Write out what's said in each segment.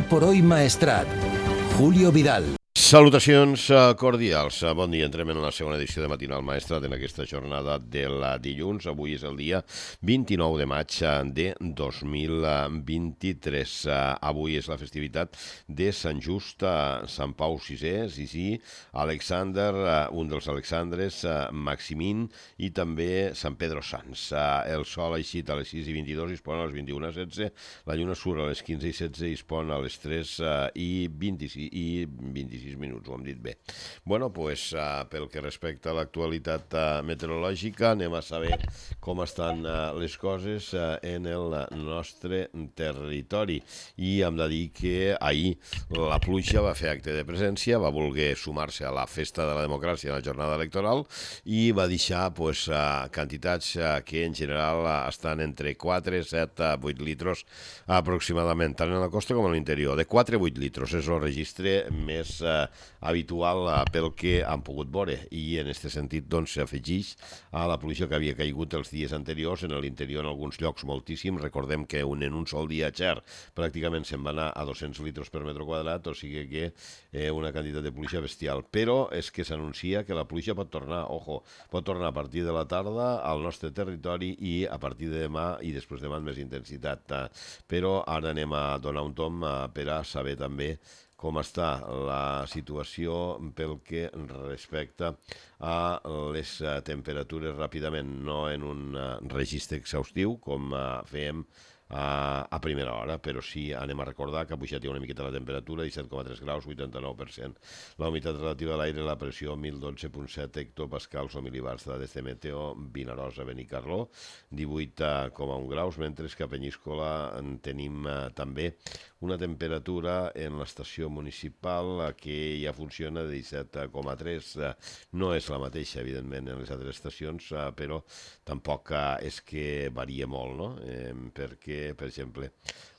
por hoy Maestrat. Julio Vidal. Salutacions cordials. Bon dia. Entrem en la segona edició de Matinal Maestrat en aquesta jornada del dilluns. Avui és el dia 29 de maig de 2023. Avui és la festivitat de Sant Just, Sant Pau VI, Sisí, Alexander, un dels Alexandres, Maximín i també Sant Pedro Sants. El sol ha eixit a les 6:22 i es pon a les 21:16. La lluna surt a les 15:16 i es pon a les 3:26 minuts, ho hem dit bé. Bueno, doncs, pel que respecta a l'actualitat meteorològica, anem a saber com estan les coses en el nostre territori. I hem de dir que ahir la pluja va fer acte de presència, va voler sumar-se a la festa de la democràcia en la jornada electoral i va deixar quantitats que en general estan entre 4, 7, 8 litres aproximadament, tant en la costa com a l'interior. De 4 a 8 litres és el registre més habitual pel que han pogut veure, i en aquest sentit s'afegeix a la pluja que havia caigut els dies anteriors, en l'interior en alguns llocs moltíssim. Recordem que en un sol dia Xer pràcticament se'n va anar a 200 litres per metre quadrat, o sigui que una quantitat de pluja bestial. Però és que s'anuncia que la pluja pot tornar, pot tornar a partir de la tarda al nostre territori i a partir de demà i després demà amb més intensitat. Però ara anem a donar un tom per a saber també com està la situació pel que respecta a les temperatures ràpidament, no en un registre exhaustiu com fèiem a primera hora, però sí anem a recordar que ha pujat una miqueta la temperatura, 17,3 graus, 89%. La humitat relativa de l'aire, la pressió, 1012,7 hectopascals o milibars, dades de Meteo, Vinaròs, Benicarló, 18,1 graus, mentre que a Penyíscola en tenim també una temperatura en l'estació municipal que ja funciona de 17,3. No és la mateixa, evidentment, en les altres estacions, però tampoc és que varia molt, no? Perquè, per exemple,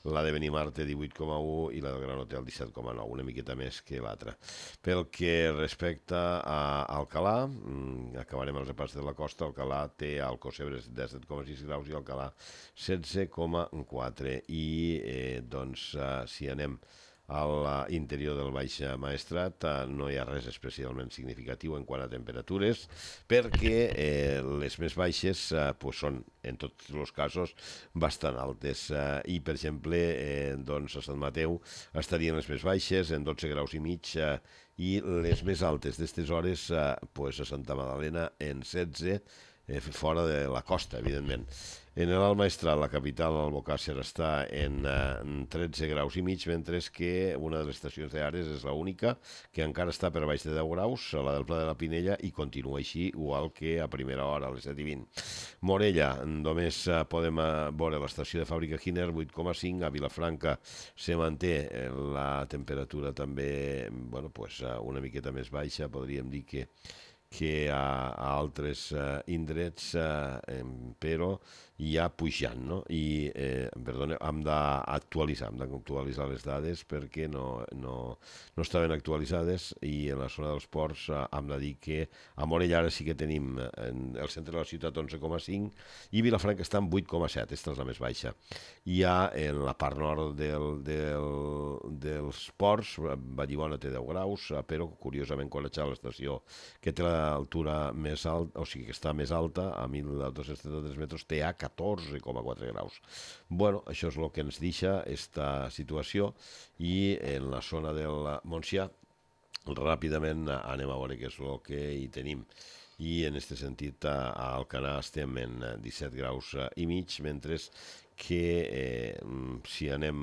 la de Benimar té 18,1 i la del Gran Hotel 17,9, una miqueta més que l'altra. Pel que respecta a Alcalà, acabarem el repàs de la costa. Alcalà té al Alcossebre 17,6 graus i Alcalà 16,4. I, si anem a l'interior del Baix Maestrat, no hi ha res especialment significatiu en quant a temperatures, perquè les més baixes són, en tots els casos, bastant altes. I, per exemple, a Sant Mateu estarien les més baixes, en 12 graus i mig, i les més altes d'estes hores a Santa Magdalena en 16, fora de la costa, evidentment. En l'Alt Maestrat, la capital, l'Albocàsser, està en 13 graus i mig, mentre que una de les estacions d'Ares és l'única que encara està per baix de 10 graus, la del Pla de la Pinella, i continua així, igual que a primera hora, a les 7:20. Morella, només podem veure l'estació de Fàbrica Giner, 8,5. A Vilafranca se manté la temperatura també una miqueta més baixa, podríem dir que a altres indrets, però ja pujant, no? I, hem d'actualitzar les dades perquè no estaven actualitzades, i en la zona dels ports hem de dir que a Morella ara sí que tenim el centre de la ciutat 11,5 i Vilafranca està en 8,7, aquesta és la més baixa. I ja en la part nord dels ports, Vallibona té 10 graus, però curiosament Conatxal, l'estació que té l'altura més alta, o sigui que està més alta, a 1.233 metres, té a 14,4 graus. Això és el que ens deixa aquesta situació. I en la zona del Montsià, ràpidament anem a veure què és el que hi tenim. I en aquest sentit a Alcanar estem en 17 graus i mig, mentre que si anem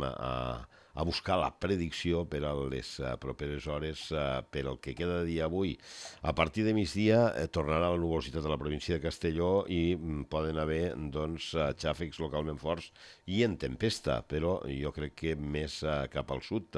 a buscar la predicció per a les properes hores, per al que queda de dia avui, a partir de migdia tornarà la nuvolositat a la província de Castelló i poden haver xàfecs localment forts i en tempesta, però jo crec que més cap al sud,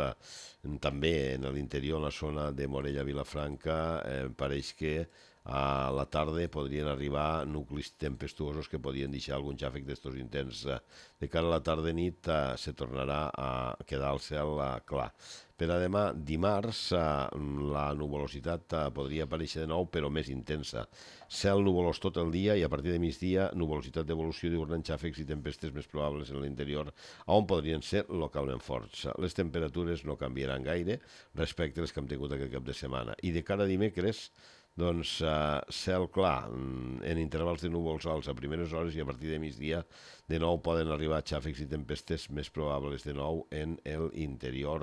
també en l'interior, en la zona de Morella-Vilafranca, pareix que a la tarda podrien arribar nuclis tempestuosos que podien deixar algun xàfec d'estos intents. De cara a la tarda-nit se tornarà a quedar el cel clar. Per a demà, dimarts, la nuvolositat podria aparèixer de nou, però més intensa. Cel nuvolós tot el dia i a partir de migdia, nuvolositat d'evolució diurna amb xàfecs i tempestes més probables en l'interior, on podrien ser localment forts. Les temperatures no canviaran gaire respecte a les que hem tingut aquest cap de setmana. I de cara a dimecres, doncs cel clar, en intervals de núvols alts a primeres hores i a partir de migdia de nou poden arribar xàfecs i tempestes més probables de nou en l'interior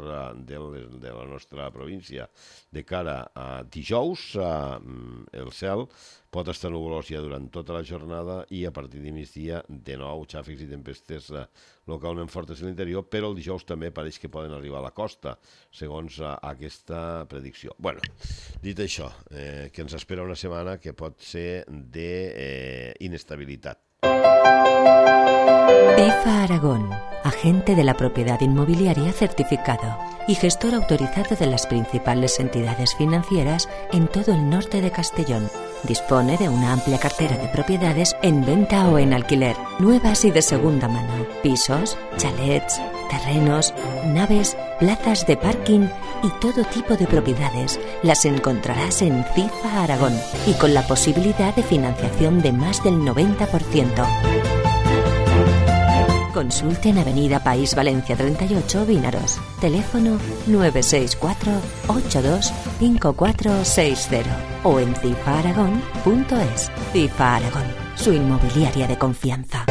de la nostra província. De cara a dijous, el cel pot estar nuvolós ja durant tota la jornada i a partir de migdia de nou xàfecs i tempestes localment fortes a l'interior, però el dijous també pareix que poden arribar a la costa, segons aquesta predicció. Bueno, dit això, que ens espera una setmana que pot ser d'inestabilitat. IFA Aragón, agente de la propiedad inmobiliaria certificado y gestor autorizado de las principales entidades financieras en todo el norte de Castellón. Dispone de una amplia cartera de propiedades en venta o en alquiler, nuevas y de segunda mano, pisos, chalets, terrenos, naves, plazas de parking y todo tipo de propiedades. Las encontrarás en CIFA Aragón y con la posibilidad de financiación de más del 90%. Consulte en Avenida País Valencia 38, Vinaros. Teléfono 964-825460 o en cifaaragón.es. CIFA Aragón, su inmobiliaria de confianza.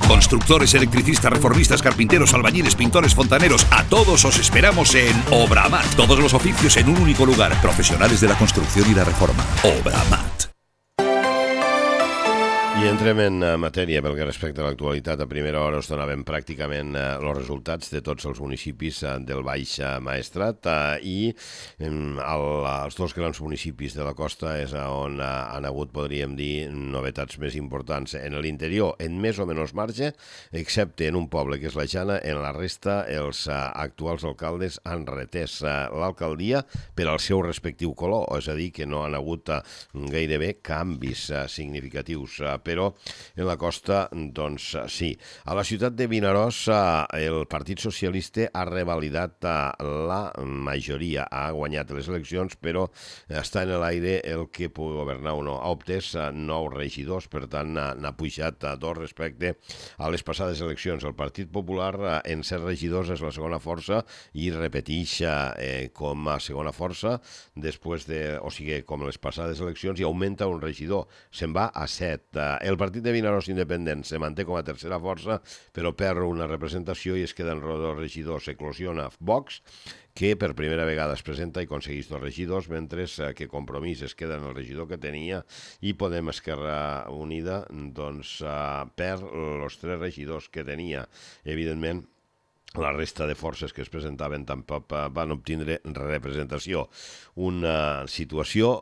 Constructores, electricistas, reformistas, carpinteros, albañiles, pintores, fontaneros, a todos os esperamos en Obramat. Todos los oficios en un único lugar. Profesionales de la construcción y la reforma. Obramat. I entrem en matèria pel que respecta a l'actualitat. A primera hora us donàvem pràcticament els resultats de tots els municipis del Baix Maestrat i els dos grans municipis de la costa és on han hagut, podríem dir, novetats més importants. En l'interior, en més o menys marge, excepte en un poble que és la Jana, en la resta els actuals alcaldes han retès l'alcaldia per al seu respectiu color, és a dir, que no han hagut gairebé canvis significatius, però en la costa, doncs sí. A la ciutat de Vinaròs, el Partit Socialista ha revalidat la majoria, ha guanyat les eleccions, però està en l'aire el que pugui governar o no. Ha obtès 9 regidors, per tant, n'ha pujat 2 respecte a les passades eleccions. El Partit Popular, en 7 regidors, és la segona força i repeteix com a segona força, després de, o sigui, com les passades eleccions, i augmenta un regidor. Se'n va a 7. El Partit de Vinaròs Independent se manté com a tercera força, però perd una representació i es queden 2 regidors. Eclosiona Vox, que per primera vegada es presenta i aconsegueix 2 regidors, mentre que Compromís es queda en el regidor que tenia i Podem Esquerra Unida doncs perd els 3 regidors que tenia. Evidentment, la resta de forces que es presentaven tampoc van obtindre representació. Una situació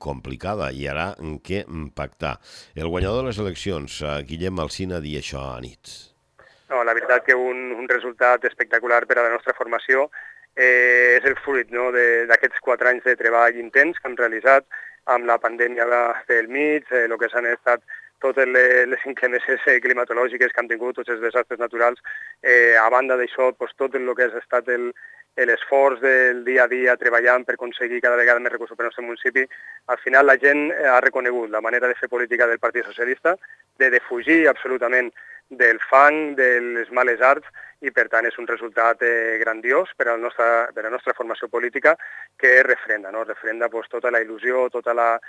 complicada i ara què pactar. El guanyador de les eleccions, Guillem Alsina, dia això a nit. No, la veritat que un resultat espectacular per a la nostra formació és el fruit d'aquests 4 anys de treball intens que hem realitzat amb la pandèmia del mig, el que s'han estat totes les inclemències climatològiques que han tingut, tots els desastres naturals. A banda d'això, tot el que ha estat l'esforç del dia a dia treballant per aconseguir cada vegada més recursos per al nostre municipi, al final la gent ha reconegut la manera de fer política del Partit Socialista, de defugir absolutament del fang, de les males arts, i per tant és un resultat grandiós per a la nostra formació política que refrenda tota la il·lusió, tota la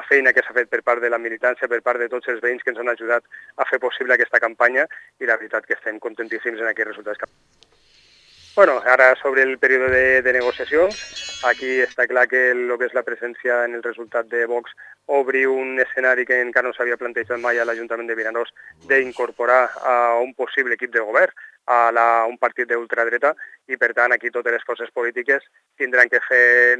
feina que s'ha fet per part de la militància, per part de tots els veïns que ens han ajudat a fer possible aquesta campanya, i la veritat que estem contentíssims en aquests resultats. Bueno, ara sobre el període de negociacions, aquí està clar que el que és la presència en el resultat de Vox obri un escenari que encara no s'havia plantejat mai a l'Ajuntament de Vinaròs d'incorporar a un possible equip de govern a un partit d'ultradreta, i per tant aquí totes les forces polítiques tindran que fer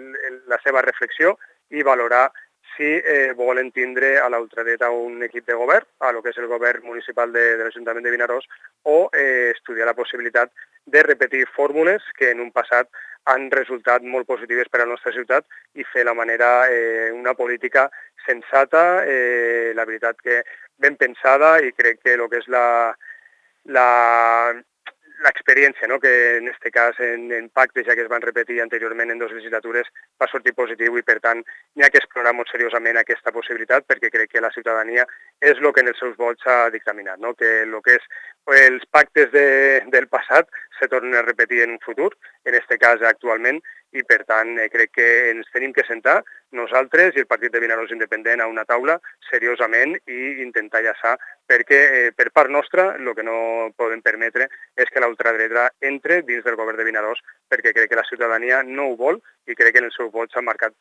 la seva reflexió i valorar si volen tindre a la ultradreta un equip de govern, a lo que és el govern municipal de l'Ajuntament de Vinaròs, o estudiar la possibilitat de repetir fórmules que en un passat han resultat molt positives per a la nostra ciutat i fer una política sensata, la veritat que ben pensada, i crec que el que és l'experiència, no? Que en aquest cas en pactes ja que es van repetir anteriorment en 2 legislatures va sortir positiu, i per tant n'hi ha que explorar molt seriosament aquesta possibilitat, perquè crec que la ciutadania és el que en els seus vots ha dictaminat, no? Que el que és els pactes del passat se tornen a repetir en un futur, en aquest cas actualment, i per tant crec que ens tenim que sentar nosaltres i el Partit de Vinaròs Independent a una taula seriosament i intentar enllaçar, perquè per part nostra el que no podem permetre és que la ultradreta entre dins del govern de Vinaròs, perquè crec que la ciutadania no ho vol, i crec que en els seus vots s'ha marcat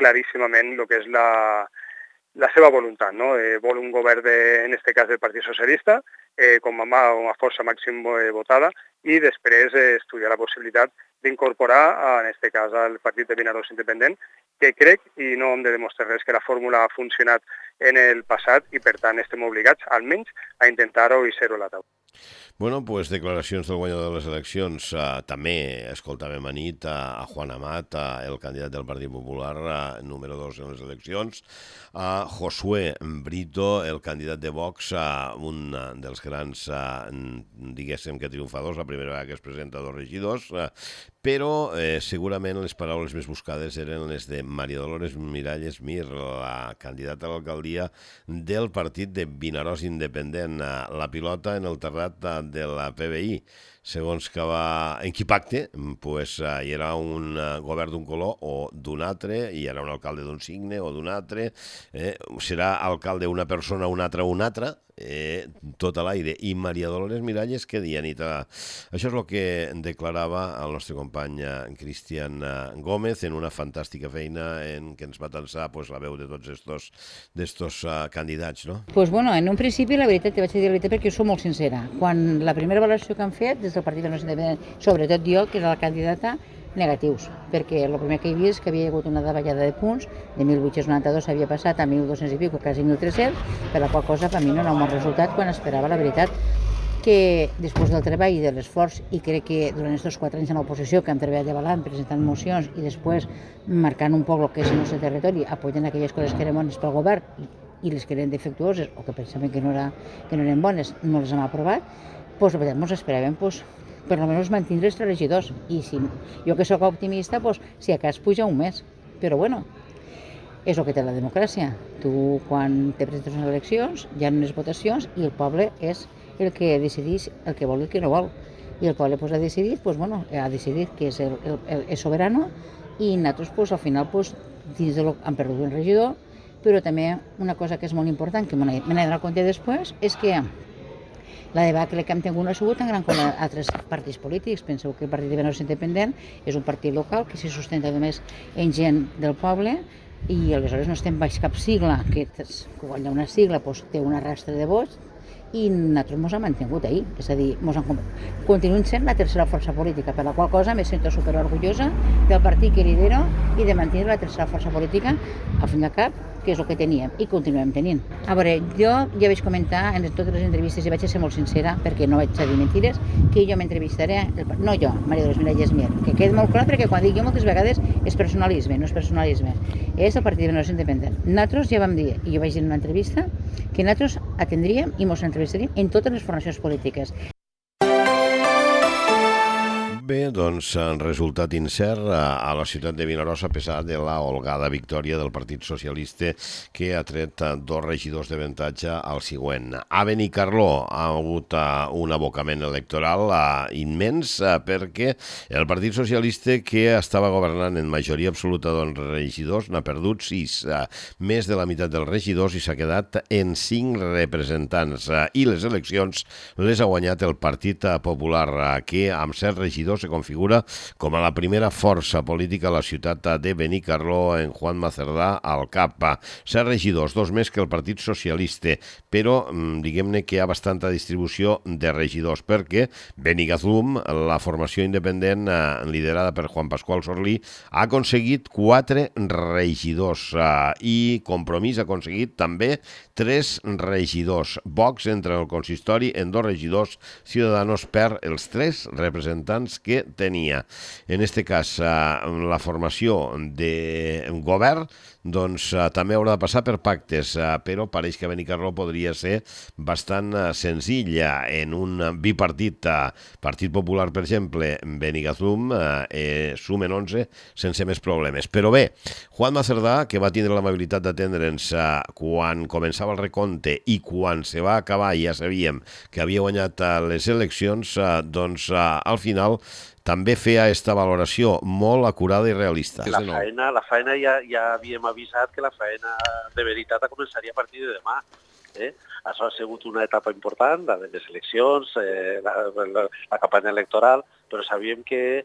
claríssimament el que és la seva voluntat, no? Vol un govern, en aquest cas del Partit Socialista, com a força màxim votada, i després estudiar la possibilitat d'incorporar, en aquest cas, al Partit de Vinaròs Independent, que crec, i no hem de demostrar res, que la fórmula ha funcionat en el passat, i per tant estem obligats, almenys, a intentar-ho i ser-ho a la taula. Bueno, pues declaracions del guanyador de les eleccions. També escoltàvem anit a Juan Amat, el candidat del Partit Popular, número 2 en les eleccions, a Josué Brito, el candidat de Vox, un dels grans, diguéssim que triomfadors, la primera vegada que es presenta 2 regidors, però segurament les paraules més buscades eren les de Maria Dolores Miralles Mir, la candidata a l'alcaldia del Partit de Vinaròs Independent. La pilota en el terrat de la PBI, segons que en qui pacte, pues, hi era un govern d'un color o d'un altre, hi era un alcalde d'un signe o d'un altre, serà alcalde una persona, un altre, tot a l'aire. I Maria Dolores Miralles, què dia, Anita? Això és el que declarava el nostre company Cristian Gómez en una fantàstica feina en què ens va tensar la veu de tots estos candidats, no? Pues bueno, en un principi la veritat, te vaig dir la veritat perquè sóc molt sincera. Quan la primera valoració que han fet des del Partit de Vinaròs Independent, sobretot jo, que era la candidata, negatius, perquè el primer que he vist que havia hagut una davallada de punts, de 1.892 s'havia passat a 1.200 i pico, quasi 1.300, per la qual cosa per mi no era un bon resultat quan esperava, la veritat, que després del treball i de l'esforç, i crec que durant aquests 4 anys en l'oposició que hem treballat de balant, presentant mocions i després marcant un poc el que és el nostre territori, apoyant aquelles coses que eren bones pel govern i les que eren defectuoses o que pensaven que no eren bones, no les hem aprovat, doncs la veritat ens esperàvem per almenys mantindre els 3 regidors, i si jo que sóc optimista, si a cas puja un mes, però bueno, és el que té la democràcia. Tu quan te presentes unes eleccions hi ha unes votacions i el poble és el que decideix el que vol i el que no vol, i el poble ha decidit, ha decidit que és soberano, i nosaltres al final dins han perdut un regidor, però també una cosa que és molt important, que me n'he donat compte després, és que la debacle que hem tingut no ha sigut tan gran com altres partits polítics. Penseu que el Partit de Vinaròs Independent és un partit local que se sustenta només en gent del poble, i aleshores no estem baix cap sigla, que quan hi ha una sigla té un arrastre de vots, i nosaltres ens hem mantingut ahir, és a dir, continuem sent la tercera força política, per la qual cosa me sento superorgullosa del partit que lidero i de mantenir la tercera força política, al fin i al cap, que és el que teníem i continuem tenint. A veure, jo ja vaig comentar en totes les entrevistes, i vaig ser molt sincera perquè no vaig dir mentides, que jo m'entrevistaré, no jo, Maria Dolores Miralles Mir, que quedi molt clar, perquè quan dic jo moltes vegades és personalisme, no és personalisme, és el Partit de Vinaròs Independent. Nosaltres ja vam dir, i jo vaig dir en una entrevista, que nosaltres atendríem i ens entrevistaríem en totes les formacions polítiques. Bé, doncs, resultat incert a la ciutat de Vinaròs, a pesar de la holgada victòria del Partit Socialista, que ha tret 2 regidors d'avantatge al següent. A Benicarló ha hagut un abocament electoral immens, perquè el Partit Socialista, que estava governant en majoria absoluta de regidors, n'ha perdut 6, més de la meitat dels regidors, i s'ha quedat en 5 representants. I les eleccions les ha guanyat el Partit Popular, que amb 7 regidors se configura com a la primera força política a la ciutat de Benicarló, en Juan Macerdà al cap. 7 regidors, 2 més que el Partit Socialista, però diguem-ne que hi ha bastanta distribució de regidors, perquè Benigazum, la formació independent liderada per Juan Pascual Sorlí, ha aconseguit 4 regidors, i Compromís ha aconseguit també 3 regidors. Vox entra en el consistori en 2 regidors, Ciudadanos per els 3 representants que tenia. En aquest cas, la formació de govern doncs també haurà de passar per pactes, però pareix que Benicarló podria ser bastant senzilla. En un bipartit, Partit Popular, per exemple, Benigazum, sumen 11 sense més problemes. Però bé, Juanma Cerdà, que va tindre l'amabilitat d'atendre'ns quan començava el recompte i quan se va acabar i ja sabíem que havia guanyat les eleccions, doncs al final també feia aquesta valoració molt acurada i realista. La feina ja havíem avisat que la feina de veritat començaria a partir de demà. Això ha sigut una etapa important, la de les eleccions, la campanya electoral, però sabíem que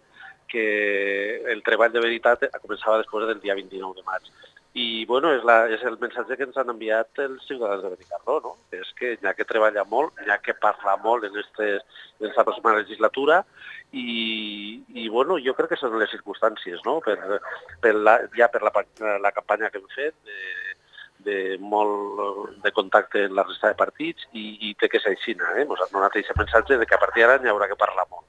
el treball de veritat començava després del dia 29 de maig. I bueno, és el missatge que ens han enviat els ciutadans de Benicarló, no? És que hi ha que treballar molt, hi ha que parlar molt en aquesta pròxima legislatura i bueno, jo crec que són les circumstàncies, no? Per la campanya que hem fet, de molt de contacte amb la resta de partits i té que ser així, Ens han donat aquest missatge de que a partir d'ara n'hi haurà que parlar molt.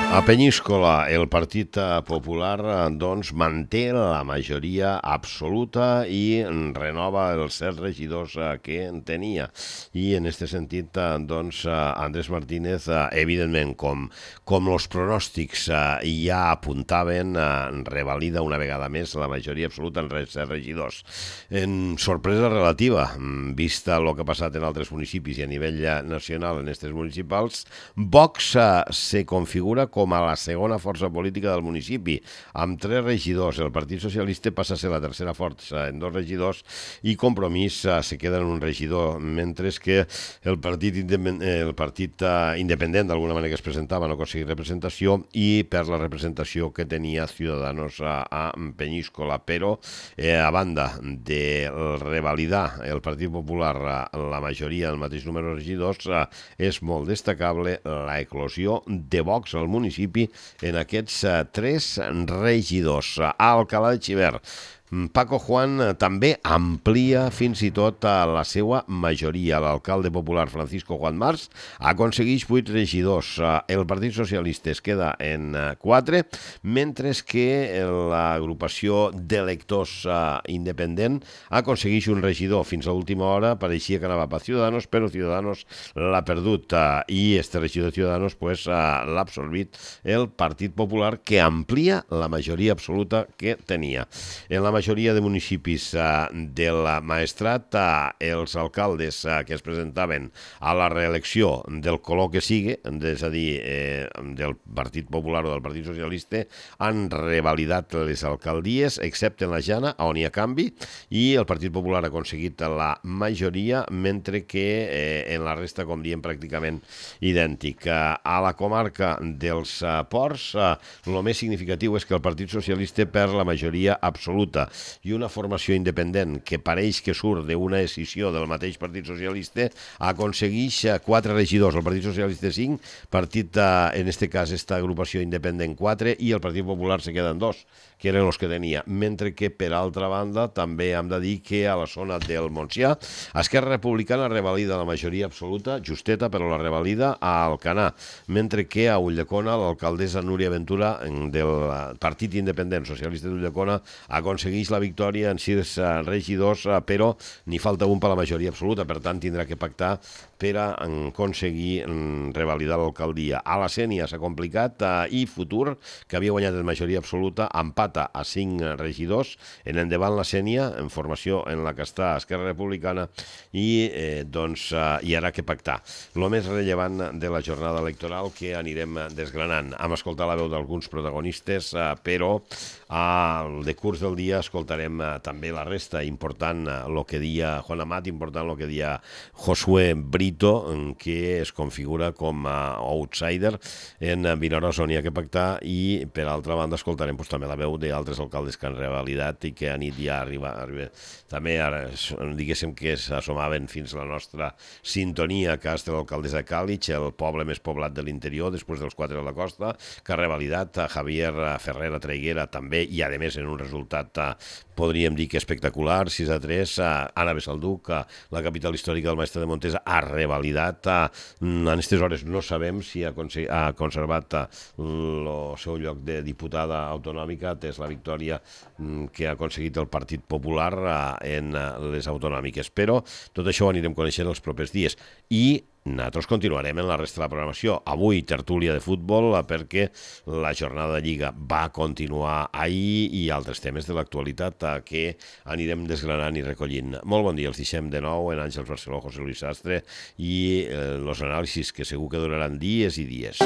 A Penyíscola, el Partit Popular doncs, manté la majoria absoluta i renova els 7 regidors que tenia. I en aquest sentit, doncs, Andrés Martínez, evidentment, com els pronòstics ja apuntaven, revalida una vegada més la majoria absoluta en 7 regidors. En sorpresa relativa, vista el que ha passat en altres municipis i a nivell nacional en aquests municipals, Vox se configura com a la segona força política del municipi, amb 3 regidors. El Partit Socialista passa a ser la tercera força en 2 regidors i Compromís se queda en un regidor, mentre que el Partit Independent d'alguna manera que es presentava no aconseguia representació i per la representació que tenia Ciudadanos a Penyíscola. Però a banda de revalidar el Partit Popular la majoria del mateix número de regidors, és molt destacable la eclosió de Vox al municipi en aquests 3 regidors. A Alcalá de Xivert, Paco Juan també amplia fins i tot la seva majoria. L'alcalde popular Francisco Juan Mars aconsegueix 8 regidors. El Partit Socialista es queda en 4, mentre que l'agrupació d'electors independent aconsegueix un regidor. Fins a l'última hora pareixia que anava per Ciudadanos, però Ciudadanos l'ha perdut i este regidor de Ciudadanos l'ha absorbit el Partit Popular, que amplia la majoria absoluta que tenia. En la majoria de municipis del Maestrat, els alcaldes que es presentaven a la reelecció del color que sigui, és a dir, del Partit Popular o del Partit Socialista, han revalidat les alcaldies, excepte en la Jana, on hi ha canvi, i el Partit Popular ha aconseguit la majoria, mentre que en la resta, com diem, pràcticament idèntic. A la comarca dels Ports, el més significatiu és que el Partit Socialista perd la majoria absoluta i una formació independent que pareix que surt d'una decisió del mateix Partit Socialista aconsegueix 4 regidors, el Partit Socialista 5, en este cas esta agrupació independent 4 i el Partit Popular se queden 2, que eren els que tenia. Mentre que, per altra banda, també hem de dir que a la zona del Montsià, Esquerra Republicana revalida la majoria absoluta, justeta, però la revalida a Alcanar, mentre que a Ulldecona l'alcaldessa Núria Ventura del Partit Independent Socialista d'Ulldecona aconsegueix la victòria en 6 regidors, però n'hi falta un per la majoria absoluta, per tant tindrà que pactar per aconseguir revalidar l'alcaldia. A la Sénia s'ha complicat i Futur, que havia guanyat en majoria absoluta, empata a 5 regidors. En endavant la Sénia, en formació en la que està Esquerra Republicana, i doncs hi haurà que pactar. El més rellevant de la jornada electoral que anirem desgranant. Hem escoltat la veu d'alguns protagonistes, però al decurs del dia escoltarem també la resta. Important el que dia Juan Amat, important el que dia Josué Brito, que es configura com a outsider en Vinaròs, on hi ha que pactar, i per altra banda escoltarem també la veu d'altres alcaldes que han revalidat i que a nit ja arriba. També ara diguéssim que s'assomaven fins a la nostra sintonia, que és l'alcaldessa de Càlig, el poble més poblat de l'interior després dels 4 de la costa, que ha revalidat a Javier Ferrera Traiguera també, i a més en un resultat podríem dir que espectacular, 6-3, Anna Besalduc, la capital històrica del Maestrat de Montesa, ha revalidat. En aquestes hores no sabem si ha conservat el seu lloc de diputada autonòmica, és la victòria que ha aconseguit el Partit Popular en les autonòmiques. Però tot això ho anirem coneixent els propers dies. I nosaltres continuarem en la resta de la programació. Avui, tertúlia de futbol, perquè la jornada de Lliga va continuar ahir i altres temes de l'actualitat que anirem desgranant i recollint. Molt bon dia, els deixem de nou en Àngels Barceló, José Luis Sastre i els anàlisis que segur que duraran dies i dies.